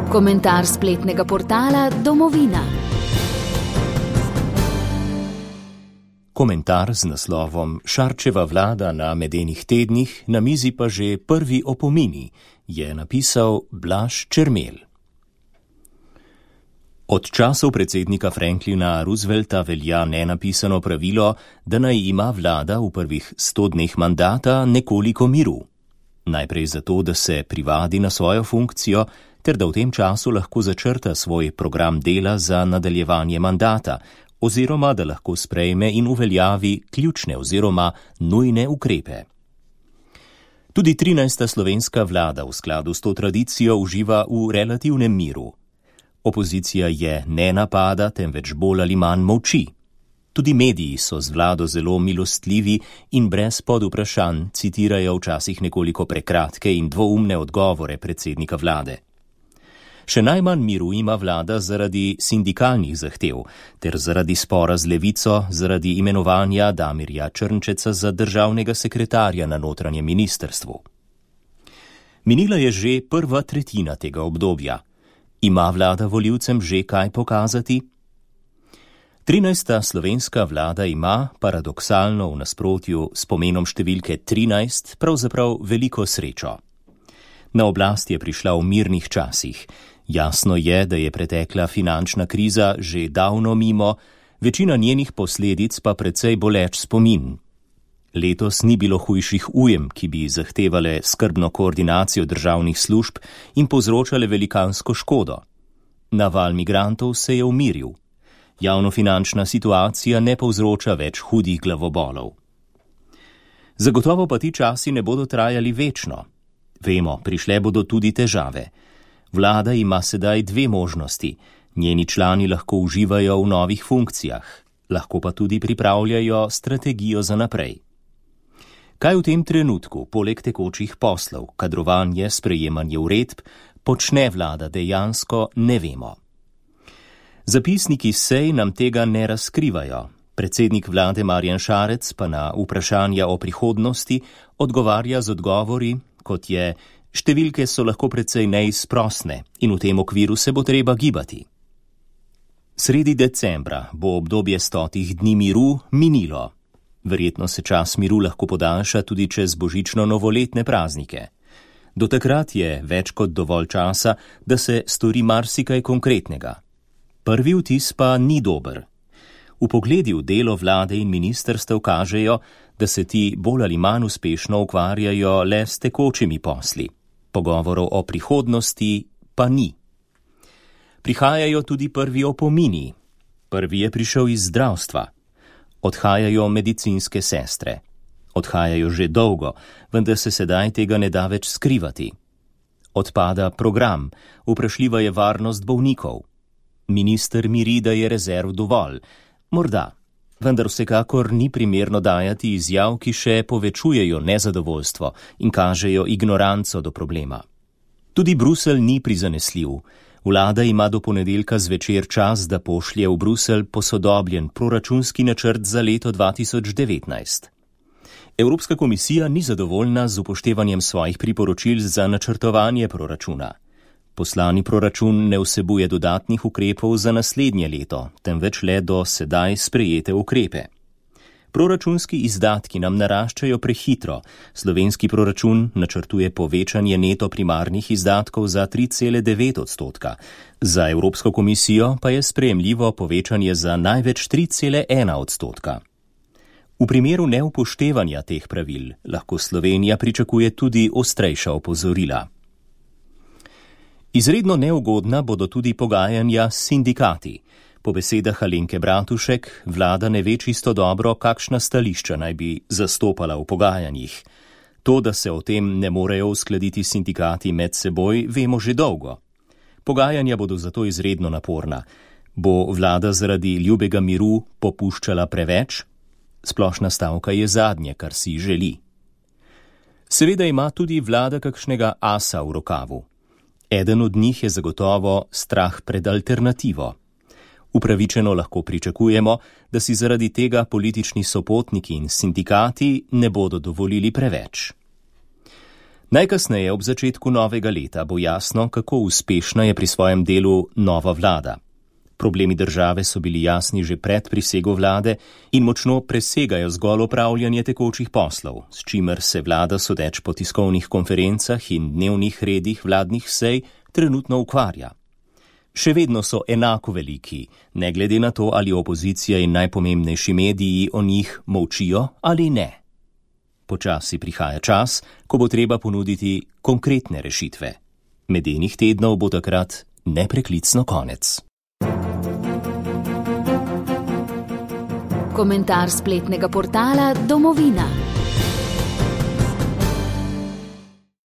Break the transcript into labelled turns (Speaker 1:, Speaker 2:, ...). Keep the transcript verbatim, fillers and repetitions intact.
Speaker 1: Komentar spletnega portala Domovina.
Speaker 2: Komentar z naslovom Šarčeva vlada na medenih tednih, na mizi pa že prvi opomini, je napisal Blaž Čermelj. Od časov predsednika Franklina Roosevelta velja nenapisano pravilo, da naj ima vlada v prvih sto dneh mandata nekoliko miru. Najprej zato, da se privadi na svojo funkcijo, ter da v tem času lahko začrta svoj program dela za nadaljevanje mandata, oziroma da lahko sprejme in uveljavi ključne oziroma nujne ukrepe. Tudi trinajsta slovenska vlada v skladu s to tradicijo uživa v relativnem miru. Opozicija je ne napada, temveč bolj ali manj molči. Tudi mediji so z vlado zelo milostljivi in brez podvprašanj citirajo včasih nekoliko prekratke in dvoumne odgovore predsednika vlade. Še najmanj miru ima vlada zaradi sindikalnih zahtev, ter zaradi spora z Levico, zaradi imenovanja Damirja Črnčeca za državnega sekretarja na notranjem ministrstvu. Minila je že prva tretjina tega obdobja. Ima vlada volivcem že kaj pokazati? trinajsta slovenska vlada ima, paradoksalno v nasprotju s pomenom številke trinajst, pravzaprav veliko srečo. Na oblast je prišla v mirnih časih. Jasno je, da je pretekla finančna kriza že davno mimo, večina njenih posledic pa precej boleč spomin. Letos ni bilo hujših ujem, ki bi zahtevale skrbno koordinacijo državnih služb in povzročale velikansko škodo. Naval migrantov se je umiril. Javnofinančna situacija ne povzroča več hudih glavobolov. Zagotovo pa ti časi ne bodo trajali večno. Vemo, prišle bodo tudi težave. Vlada ima sedaj dve možnosti. Njeni člani lahko uživajo v novih funkcijah, lahko pa tudi pripravljajo strategijo za naprej. Kaj v tem trenutku, poleg tekočih poslov, kadrovanje, sprejemanje uredb, počne vlada dejansko, ne vemo. Zapisniki sej nam tega ne razkrivajo. Predsednik vlade Marjan Šarec pa na vprašanja o prihodnosti odgovarja z odgovori, kot je: številke so lahko precej neizprosne in v tem okviru se bo treba gibati. Sredi decembra bo obdobje stotih dni miru minilo. Verjetno se čas miru lahko podaljša tudi čez božično-novoletne praznike. Do takrat je več kot dovolj časa, da se stori marsikaj konkretnega. Prvi vtis pa ni dober. Vpogledi v delo vlade in ministrstev kažejo, da se ti bolj ali manj uspešno ukvarjajo le s tekočimi posli. Pogovorov o prihodnosti pa ni. Prihajajo tudi prvi opomini. Prvi je prišel iz zdravstva. Odhajajo medicinske sestre. Odhajajo že dolgo, vendar se sedaj tega ne da več skrivati. Odpada program, vprašljiva je varnost bolnikov. Minister miri, da je rezerv dovolj. Morda, vendar vsekakor ni primerno dajati izjav, ki še povečujejo nezadovoljstvo in kažejo ignoranco do problema. Tudi Bruselj ni prizanesljiv. Vlada ima do ponedeljka zvečer čas, da pošlje v Bruselj posodobljen proračunski načrt za leto dva tisoč devetnajst. Evropska komisija ni zadovoljna z upoštevanjem svojih priporočil za načrtovanje proračuna. Poslani proračun ne vsebuje dodatnih ukrepov za naslednje leto, temveč le do sedaj sprejete ukrepe. Proračunski izdatki nam naraščajo prehitro. Slovenski proračun načrtuje povečanje neto primarnih izdatkov za tri cele devet odstotka. Za Evropsko komisijo pa je sprejemljivo povečanje za največ tri cele ena odstotka. V primeru neupoštevanja teh pravil lahko Slovenija pričakuje tudi ostrejša opozorila. Izredno neugodna bodo tudi pogajanja s sindikati. Po besedah Alenke Bratušek, vlada ne ve čisto dobro, kakšna stališča naj bi zastopala v pogajanjih. To, da se o tem ne morejo uskladiti sindikati med seboj, vemo že dolgo. Pogajanja bodo zato izredno naporna. Bo vlada zaradi ljubega miru popuščala preveč? Splošna stavka je zadnje, kar si želi. Seveda ima tudi vlada kakšnega asa v rokavu. Eden od njih je zagotovo strah pred alternativo. Upravičeno lahko pričakujemo, da si zaradi tega politični sopotniki in sindikati ne bodo dovolili preveč. Najkasneje ob začetku novega leta bo jasno, kako uspešna je pri svojem delu nova vlada. Problemi države so bili jasni že pred prisego vlade in močno presegajo zgolj opravljanje tekočih poslov, s čimer se vlada sodeč po tiskovnih konferencah in dnevnih redih vladnih sej trenutno ukvarja. Še vedno so enako veliki, ne glede na to, ali opozicija in najpomembnejši mediji o njih molčijo ali ne. Počasi prihaja čas, ko bo treba ponuditi konkretne rešitve. Medenih tednov bo takrat nepreklicno konec.
Speaker 1: Komentar spletnega portala Domovina.